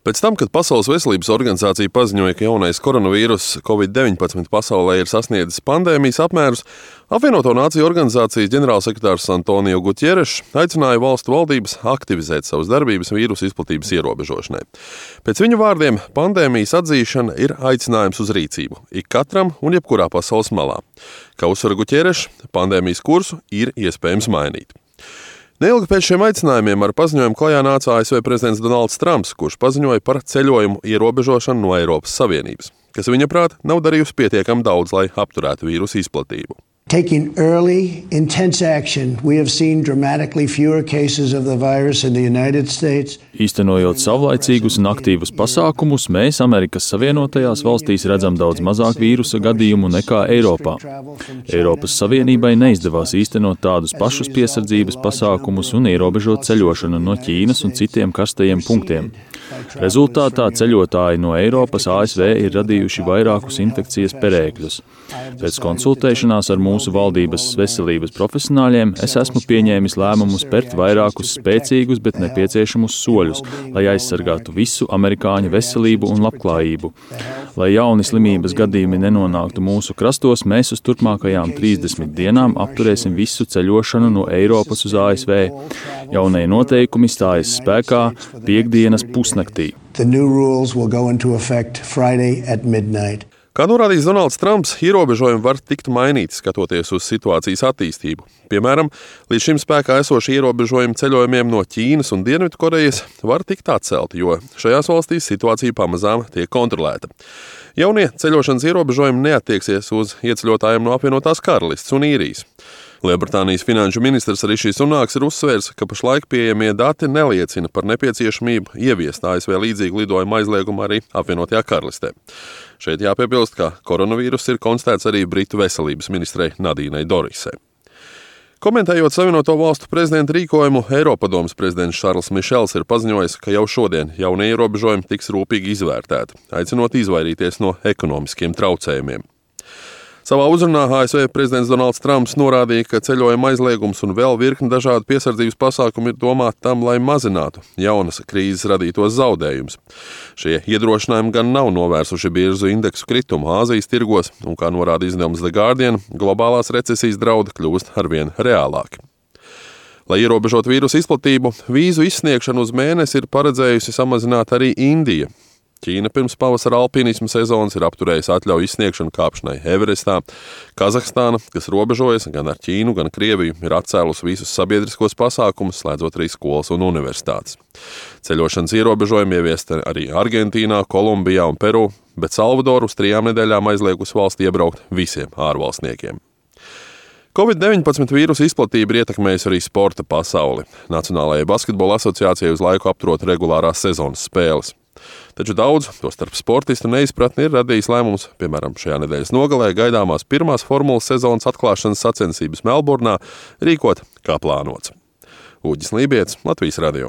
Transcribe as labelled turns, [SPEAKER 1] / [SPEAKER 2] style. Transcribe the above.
[SPEAKER 1] Pēc tam, kad Pasaules veselības organizācija paziņoja, ka jaunais koronavīruss Covid-19 pasaulē ir sasniedzis pandēmijas apmērus, Apvienoto Nāciju organizācijas ģenerālsekretārs Antonio Gutierešs aicināja valstu valdības aktivizēt savas darbības vīrusu izplatības ierobežošanai. Pēc viņa vārdiem, pandēmijas atzīšana ir aicinājums uz rīcību ik katram un jebkurā pasaules malā. Kā uzsver Gutierešs, pandēmijas kursu ir iespējams mainīt. Neilgi pēc šiem aicinājumiem ar paziņojumu klajā nāca ASV prezidents Donalds Trumps, kurš paziņoja par ceļojumu ierobežošanu no Eiropas Savienības, kas viņaprāt nav darījusi pietiekami daudz, lai apturētu vīrusu izplatību.
[SPEAKER 2] Taking early, intense action, we have seen dramatically fewer cases of the virus in the United States.
[SPEAKER 3] Īstenojot savlaicīgus un aktīvus pasākumus, mēs Amerikas Savienotajās valstīs redzam daudz mazāk vīrusa gadījumu nekā Eiropā. Eiropas Savienībai neizdevās īstenot tādus pašus piesardzības pasākumus un ierobežot ceļošanu no Ķīnas un citiem karstajiem punktiem. Rezultātā ceļotāji no Eiropas ASV ir radījuši vairākus infekcijas perēkļus. Pēc konsultēšanās ar mūsu valdības veselības profesionāļiem es esmu pieņēmis lēmumu spērt vairākus spēcīgus, bet nepieciešamus soļus, lai aizsargātu visu amerikāņu veselību un labklājību. Lai jauni slimības gadījumi nenonāktu mūsu krastos, mēs uz turpmākajām 30 dienām apturēsim visu ceļošanu no Eiropas uz ASV. Jaunie noteikumi stājas spēkā piektdienas pusnaktī.
[SPEAKER 2] The new rules will go into effect Friday at midnight.
[SPEAKER 1] Kā norādījis Donalds Trumps, ierobežojumi var tikt mainīti, skatoties uz situācijas attīstību. Piemēram, līdz šim spēkā esošie ierobežojumi ceļojumiem no Ķīnas un Dienvidkorejas var tikt atcelti, jo šajās valstīs situācija pamazām tiek kontrolēta. Jaunie ceļošanas ierobežojumi neattieksies uz ieceļotājiem no apvienotās Karalistes un Īrijas. Lielbritānijas finanšu ministrs Rišijs Sunāks ir uzsvērs, ka pašlaik pieejamie dati neliecina par nepieciešamību ieviest ASV līdzīgu lidojumu aizliegumu arī apvienotajā Karalistē. Šeit jāpiebilst, ka koronavīruss ir konstatēts arī Britu veselības ministrei Nadīnai Dorisai. Komentējot Savienoto valstu prezidenta rīkojumu, Eiropadomes prezidents Šarls Mišels ir paziņojis, ka jau šodien jaunie ierobežojumi tiks rūpīgi izvērtēti, aicinot izvairīties no ekonomiskiem traucējumiem. Savā uzrunā ASV prezidents Donalds Trumps norādīja, ka ceļojuma aizliegums un vēl virkni dažādu piesardzības pasākumu ir domāti tam, lai mazinātu jaunas krīzes radītos zaudējumus. Šie iedrošinājumi gan nav novērsuši biežu indeksu kritumu Āzijas tirgos, un, kā norāda izdevums The Guardian, globālās recesijas draudi kļūst arvien reālāki. Lai ierobežotu vīrusu izplatību, vīzu izsniegšanu uz mēnesi ir paredzējusi samazināt arī Indija. Ķīna pirms pavasara alpīnisma sezonas ir apturējusi atļauju izsniegšanu kāpšanai Everestā. Kazahstāna, kas robežojas gan ar Ķīnu, gan Krieviju, ir atcēlusi visus sabiedriskos pasākumus, slēdzot arī skolas un universitātes. Ceļošanas ierobežojumi ieviest arī Argentīnā, Kolumbijā un Peru, bet Salvadoru uz 3 nedēļām aizliegusi valsti iebraukt visiem ārvalstniekiem. Covid-19 vīrusu izplatība ir ietekmējusi arī sporta pasauli. Nacionālajai basketbola asociācijai uz laiku apturot regulārās sezonas spēles. Taču daudz, tostarp sportistu neizpratni, ir radījis lēmums, piemēram, šajā nedēļas nogalē gaidāmās pirmās formulas sezonas atklāšanas sacensības Melburnā rīkot kā plānots. Uģis Lībietis, Latvijas radio.